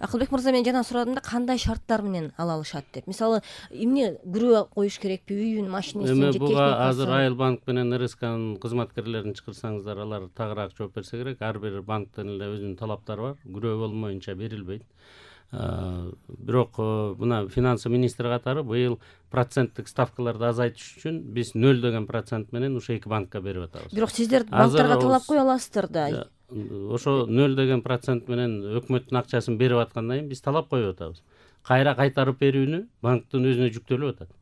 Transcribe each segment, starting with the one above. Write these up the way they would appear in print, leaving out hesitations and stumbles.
Акылбек мырза, мен жана сурадым да, кандай шарттар менен ала алышат деп. Мисалы, эмне күрөө коюш керекпи, үйүн, машинесин же техникасын? Буга азыр Айыл банк менен РСКнын кызматкерлерин чакырсаңыздар, алар тагыраак жооп берсе керек. Ар бир банктын эле өзүнүн талаптары бар. Күрөө болмоюнча берилбейт. Бирок мына финансы министри катары быйыл проценттик ставкаларды азайтыш үчүн биз 0 деген процент менен ушу эки банкка берип атабыз. Бирок сиздер банктарга талап кое аласыздар да. Ошо 0 деген процент менен өкмөттүн акчасын берип аткандан кийин биз талап коюп атабыз. Кайра кайтарып берүүнү банктын өзүнө жүктөлүп атат.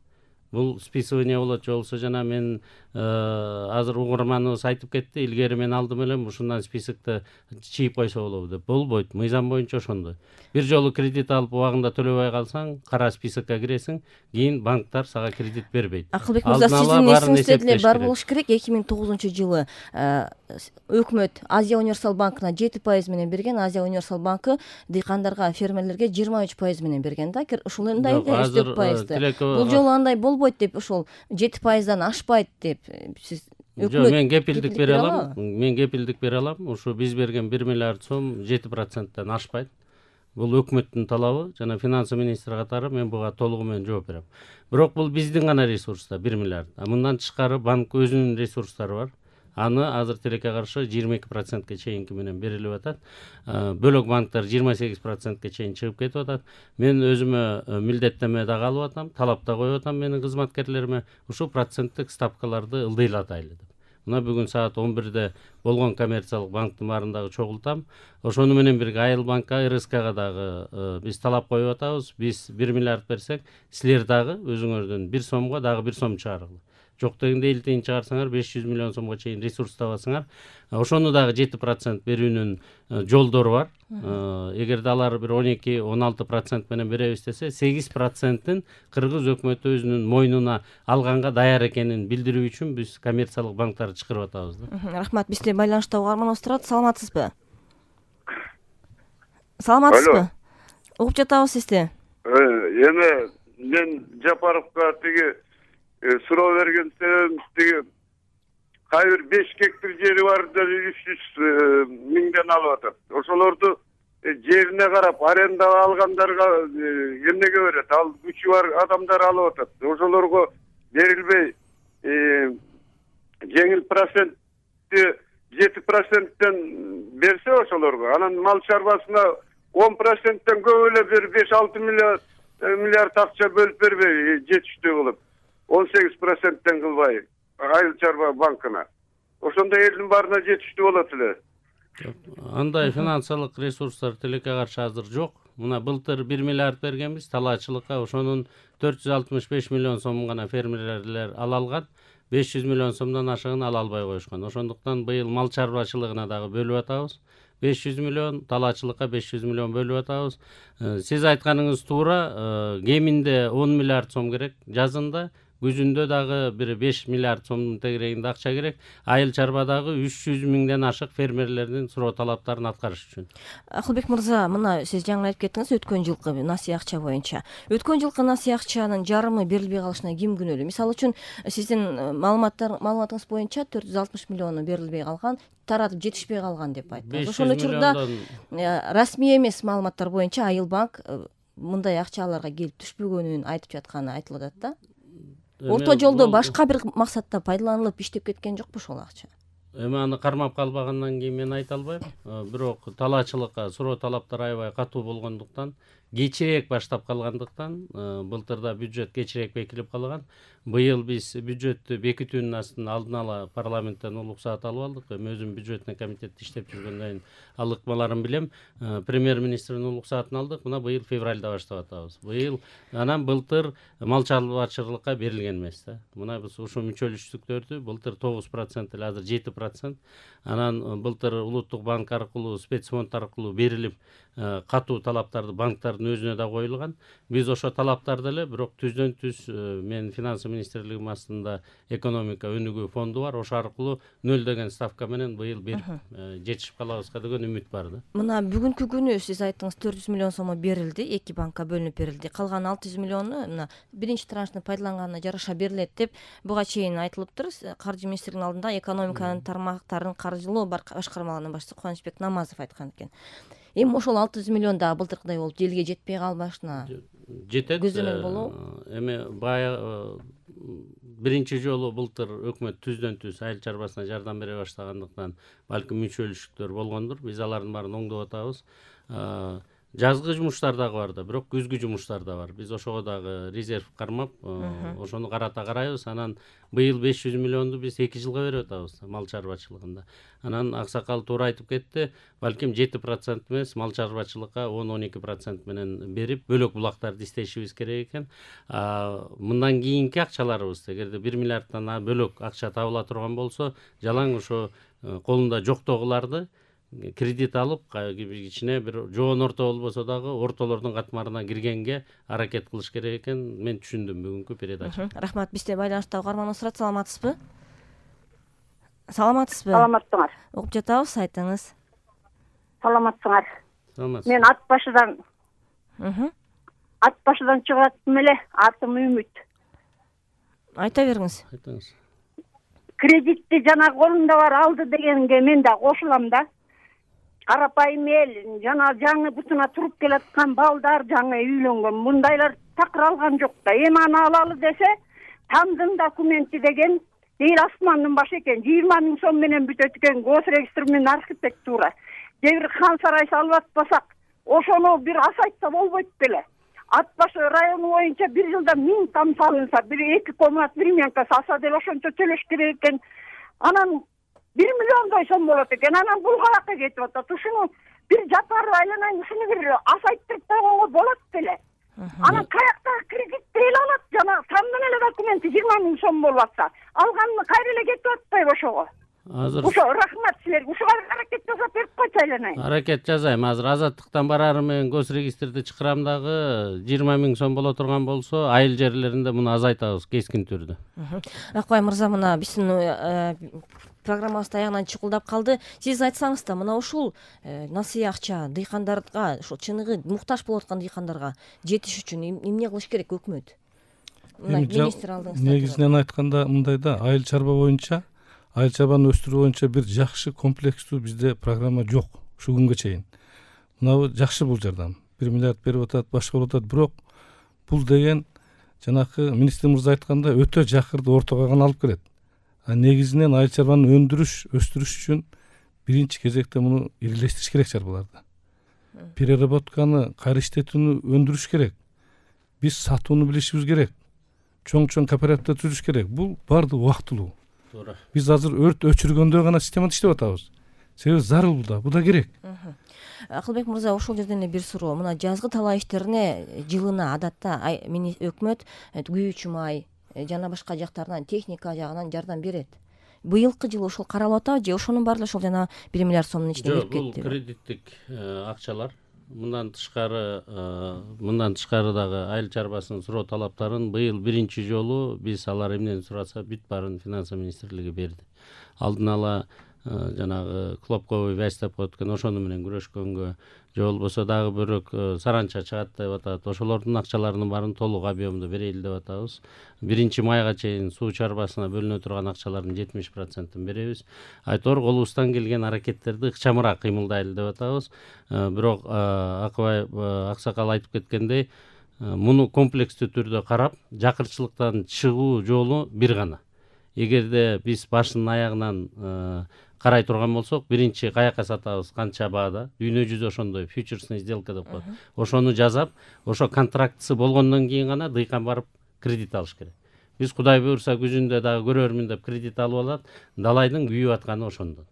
Бул списывание болот, же болбосо жана мен азыр угурманыбыз айтып кетти, илгери мен алдым элем ушундан списокто чийип койсо болобу деп. Болбойт, мыйзам боюнча ошондой. Бир жолу кредит алып убагында төлөбөй калсаң, кара списокко киресиң, кийин банктар сага кредит бербейт. Акылбек мырза, сиздин эсиңизде деле бар болуш керек. 2009-жылы өкмөт Азия Универсал банкына 7% менен берген, Азия Универсал банкы дыйкандарга, фермерлерге 23% менен берген да. Ушундай өстөк пайызды. Бул жолу андай болбойт деп, ошол 7%дан ашпайт деп сиз Жок, мен кепилдик бере алам. Мен кепилдик бере алам. Ушу биз берген 1 миллиард сом 7%тан ашпайт. Бул өкмөттүн талабы, жана финансы министри катары мен буга толугу менен жооп берем. Бирок бул биздин гана ресурста 1 миллиард. Мындан тышкары банк өзүнүн ресурстары бар. Аны азыр тилекке каршы 22%ке чейинки менен берилип атат. Бөлөк банктар 28%ке чейин чыгып кетип атат. Мен өзүмө милдеттеме дагы алып атам, талап да коюп атам менин кызматкерлериме, ушу проценттик ставкаларды ылдыйлатайлы деп. Мына бүгүн саат 11-де болгон коммерциялык банктын баарындагы чогултам. Ошону менен бирге Айыл банкка, РСКга дагы биз талап коюп атабыз. Биз 1 миллиард берсек, силер дагы өзүңөрдөн 1 сомго дагы 1 сом чыгаргыла. Жок дегенде элтейин чыгарсаңар 500 миллион сомго чейин ресурс табасыңар. Ошону дагы 7% берүүнүн жолдору бар. Эгерде алар бир 12-16% менен беребиз десе, 8%-ын кыргыз өкмөтү өзүнүн мойнуна алганга даяр экенин билдирүү үчүн биз коммерциялык банктарды чакырып атабыз да. Рахмат. Бизде байланышта угарманыбыз турат. Саламатсызбы? Саламатсызбы? Угуп жатабыз сизди. Эми мен Жапаровго тиги суроо берген себебим, тиги кайбир 5 гектар жери бар да 300 миңден алып атат. Ошолорду жерине карап аренда алгандарга эмнеге берет? Ал күчү бар адамдар алып атат. Ошолорго берилбей жеңил процентти 7%тен берсе ошолорго, анан мал чарбасына 10%тен көп эле бир 5-6 миллиард акча бөлүп бербей жетиштүү кылып 18%тен кылбай Айыл чарба банкына. Ошондо элдин баарына жетиштүү болот эле. Андай финансылык ресурстар тилекке каршы азыр жок. Мына былтыр 1 миллиард бергенбиз талаачылыкка, ошонун 465 миллион сомун гана фермерлер ала алган. 500 миллион сомдон ашыгын ала албай коюшкан. Ошондуктан быйыл мал чарбачылыгына дагы бөлүп атабыз. 500 миллион, талаачылыкка 500 миллион бөлүп атабыз. Сиз айтканыңыз туура, кеминде 10 миллиард сом керек жазында. Күзүндө дагы бир 5 миллиард сомдун тегерегинде акча керек. Айыл чарбадагы 300 миңден ашык фермерлердин суроо талаптарын аткарыш үчүн. Акылбек мырза, мына сиз жаңы айтып кеттиңиз өткөн жылкы насый акча боюнча. Өткөн жылкы насый акчанын жарымы берилбей калышына ким күнөөлүү? Мисалы үчүн сиздин маалыматыңыз боюнча 460 миллиону берилбей калган, таратып жетишпей калган деп айттыңыз. Ошол учурда расмий эмес маалыматтар боюнча Айыл банк мындай акчаларга келип түшпөгөнүн айтып жатканы айтылып атат да. Орто жолдо башка бир максатта пайдаланылып иштеп кеткен жокпу ошол акча? Эми аны кармап калбагандан кийин мен айта албайм. Бирок талаачылыкка суроо талаптар аябай катуу болгондуктан, кечирээк баштап калгандыктан, былтырда бюджет кечирээк бекилип калган. Быйыл биз бюджеттү бекитүүнүн астын алдын ала парламенттен улук саат алып алдык. Эми өзүм бюджетный комитетте иштеп жүргөндөн кийин ал ыкмаларын билем. Премьер-министрдин улук саатын алдык. Мына быйыл февралда баштап атабыз. Быйыл анан былтыр мал чарбачылыкка берилген эмес да. Мына биз ушу мүчөлүштүктөрдү былтыр 9% эле, азыр 7%. Анан былтыр улуттук банк аркылуу, спецфонд аркылуу берилип, катуу талаптарды банктардын өзүнө да коюлган. Биз ошо талаптарды эле, бирок түздөн түз мен финансы министрлигим астында экономика өнүгүү фонду бар. Ошо аркылуу 0 деген ставка менен быйыл берип жетишип калабызга деген үмүт бар да. Мына бүгүнкү күнү сиз айттыңыз 400 миллион сом берилди, эки банкка бөлүнүп берилди. Калган 600 миллиону мына биринчи траншны пайдаланганына жараша берилет деп буга чейин айтылыптыр. Каржы министринин алдында экономиканын тармактарын каржылоо башкармалыгынын башчысы Кубанычбек Намазов айткан экен. Эми ошол 600 миллион да былтыркыдай болуп элге жетпей калбашына жетет. көзөмөл болобу? Эми баягы биринчи жолу былтыр өкмөт түздөн түз айыл чарбасына жардам бере баштагандыктан балким мүчөлүштүктөр болгондур. Биз алардын баарын оңдоп атабыз. Жазгы жумуштар дагы бар да, бирок күзгү жумуштар да бар. Биз ошого дагы резерв кармап, ошону карата карайбыз. Анан быйыл 500 миллионду биз 2 жылга берип атабыз мал чарбачылыгында. Анан аксакал туура айтып кетти, балким 7% эмес, мал чарбачылыкка 10-12% менен берип, бөлөк булактарды иштешибиз керек экен. Мындан кийинки акчаларыбыз, эгерде 1 миллиардтан бөлөк акча табыла турган болсо, жалаң ошо колунда жоктогуларды кредит алып, кичине бир жоон орто болбосо дагы ортолордун катмарына киргенге аракет кылыш керек экен. Мен түшүндүм бүгүнкү передача. Рахмат. Бизде байланыштагы угарманыбыз турат. Саламатсызбы? Саламатсызбы? Саламатсыңар. Угуп жатабыз, айтыңыз. Саламатсыңар. Саламатсыз. Мен ат башыдан чыгып аттым эле. Атым Үмүт. Айта бериңиз. Айтыңыз. Кредитти жана колунда бар алды дегенге мен да кошулам да. Карапайым эл, жана жаңы бутуна туруп келаткан балдар, жаңы үйлөнгөн, мындайлар такыр алган жок да. Эми аны алалы десе, тамдын документи деген эл асмандын башы экен. 20 000 сом менен бүтөт экен, госрегистр менен архитектура. Бир хан сарай салып атпасак, ошону бир асайтса болбойт беле. Ат башы району боюнча 1 жылда 1000 там салынса, 1-2 комнат времянка салса деле ошончо төлөш керек экен. Анан 1 миллиондой сом болот экен. Анан бул калакка кетип атат. Ушуну бир жапарып айланайын, ушуну бир асайттырып койгонго болот беле. Анан каяктагы кредитти эл алат, жана самдын эле документи 20 000 сом болуп атса, алганы кайра эле кетип атпайбы ошого? Азыр Ошо рахмат силерге. Ушуга аракет жасап берип койчу айланайын. аракет жасайм. Азыр азаттыктан барарым менен госрегистрди чакырам дагы 20 000 сом боло турган болсо, айыл жерлеринде муну азайтабыз кескин түрдө. Акбай мырза, мына биздин программабыз аягынан чукулдап калды. Сиз айтсаңыз да, мына ушул насыя акча дыйкандарга, ушул чыныгы муктаж болуп аткан дыйкандарга жетиш үчүн эмне кылыш керек өкмөт? Мына министр алдыңызда. Негизинен айтканда мындай да, айыл чарба боюнча, айыл чарбаны өстүрүү боюнча бир жакшы комплекстүү бизде программа жок ушу күнгө чейин. Мына жакшы бул жардам. 1 миллиард берип атат, башка болуп атат, бирок бул деген жанакы министр мырза айтканда өтө жакырды ортого гана алып келет. Негизинен айыл чарбаны өстүрүш үчүн биринчи кезекте муну ирилештириш керек чарбаларды. Переработканы, кайра иштетүүнү өндүрүш керек. Биз сатууну билишибиз керек. Чоң кооперативди түзүш керек. Бул баардыгы убактылуу. Туура. Биз азыр өрт өчүргөндө гана системада иштеп атабыз. Себеби зарыл бул да керек. Акылбек мырза, ошол жерден бир суроо. Мына жазгы талаа иштерине жылына адатта өкмөт күйүүчү май жана башка жактарынан, техника жагынан жардам берет. Быйылкы жылы ошол каралып атабы же ошонун баары ошол жана 1 миллиард сомдун ичине кирип Бул кетти? кредиттик акчалар. Мындан тышкары дагы айыл чарбасынын суроо талаптарын быйыл биринчи жолу биз алар эмнени сураса бүт баарын финансы министрлиги берди. Алдын ала жанагы клопковый вязь деп коет экен, ошону менен күрөшкөнгө, же болбосо дагы бирок саранча чыгат деп атат. Ошолордун акчаларынын баарын толук объемдо берели деп атабыз. 1-майга чейин суу чарбасына бөлүнө турган акчалардын 70%-ын беребиз. Айтор колубуздан келген аракеттерди ыкчамыраак кыймылдайлы деп атабыз. Бирок Акбай аксакал айтып кеткендей, муну комплекстүү түрдө карап, жакырчылыктан чыгуу жолу бир гана. Эгерде биз башынан аягынан карай турган болсок, биринчи каякка сатабыз, канча баада, дүйнө жүзү ошондой фьючерсный сделка деп коет. Ошону жасап, ошо контрактысы болгондон кийин гана дыйкан барып кредит алыш керек. Биз Кудай буйрса күзүндө дагы көрөрмүн деп кредит алып алат, далайдын күйүп атканы ошондон.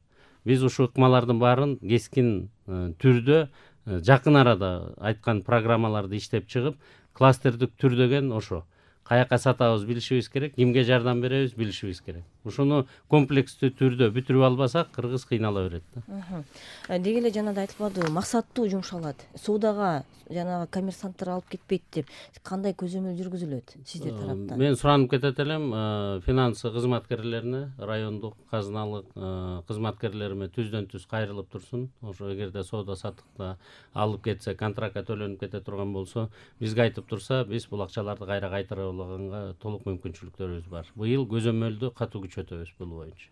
Биз ушул ыкмалардын баарын кескин түрдө жакын арада айткан программаларды иштеп чыгып, кластердик түр деген ошо. Каякка сатабыз билишибиз керек, кимге жардам беребиз билишибиз керек. Ушуну комплекстүү түрдө бүтүрүп албасак, кыргыз кыйнала берет да. Деги эле жанагы айтылбады, максаттуу жумшалат. Суудагы жанагы коммерсанттар алып кетпейт деп кандай көзөмөл жүргүзүлөт сиздер тараптан? Мен суранып кетет элем, финансы кызматкерлерине, райондук казыналык кызматкерлериме түздөн түз кайрылып турсун. Ошо эгерде соода саттыкта алып кетсе, контрактка төлөнүп кете турган болсо, бизге айтып турса, биз бул акчаларды кайра кайтарып алганга толук мүмкүнчүлүктөрүбүз бар. Быйыл көзөмөлдү катуу күчөтөбүз бул боюнча.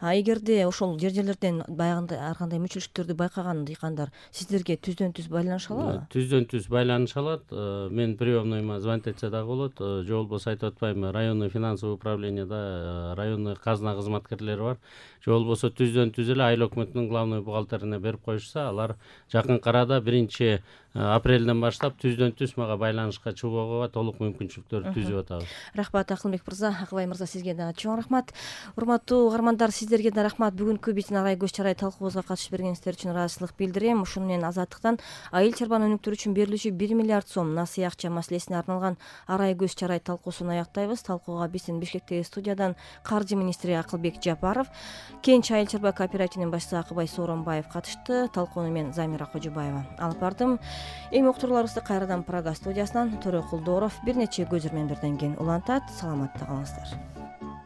Эгерде ошол жерлерден баягындай ар кандай мүчүлүштөрдү байкаган дыйкандар сиздерге түздөн түз байланыша алабы? Түздөн түз байланыша алат. Мен приемныйма звонить этсе дагы болот. Же болбосо айтып атпаймынбы, районный финансовый управленияда районный казна кызматкерлери бар. Же болбосо түздөн түз эле айыл өкмөтүнүн главный бухгалтерине берип коюшса, алар жакынкы арада 1 апрелден баштап түздөн түз мага байланышка чыгууга толук мүмкүнчүлүктөрдү түзүп атабыз. Рахмат Акылбек мырза, Акыбай мырза, сизге дагы чоң рахмат. Урматтуу угармандар, сиздерге да рахмат. Бүгүнкү биздин арай көз чарай талкуубузга катышып бергениңиздер үчүн ыраазычылык билдирем. Ушуну менен Азаттыктан айыл чарбанын өнүктүрүү үчүн берилүүчү 1 миллиард сом насый акча маселесине арналган арай көз чарай талкуусун аяктайбыз. Талкууга биздин Бишкектеги студиядан каржы министри Акылбек Жапаров, Кенч айыл чарба кооперативинин башчысы Акыбай Сооронбаев катышты. Талкууну мен Замира Кожубаева алып бардым. Эми уктурууларыбызды кайрадан Прага студиясынан Төрө Кулдоров бир нече көзүрмөн берден кийин улантат. Саламатта калыңыздар.